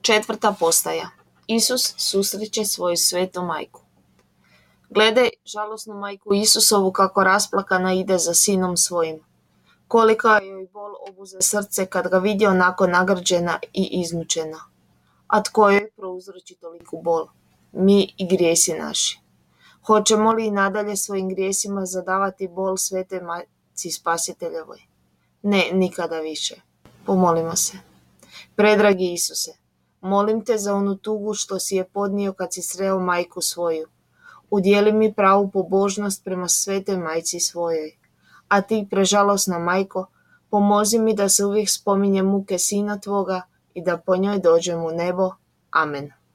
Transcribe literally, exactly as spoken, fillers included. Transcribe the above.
Četvrta postaja. Isus susreće svoju svetu majku. Gledaj žalosnu majku Isusovu kako rasplakana ide za sinom svojim. Kolika joj bol obuze srce kad ga vidi onako nagrđena i izmučena. A tko joj prouzroči toliku bol? Mi i grijesi naši. Hoćemo li i nadalje svojim grijesima zadavati bol svete majci Spasiteljevoj? Ne, nikada više. Pomolimo se. Predragi Isuse, molim te za onu tugu što si je podnio kad si sreo majku svoju. Udjeli mi pravu pobožnost prema svetoj majci svojoj. A ti, prežalosna majko, pomozi mi da se uvijek spominje muke sina tvoga i da po njoj dođem u nebo. Amen.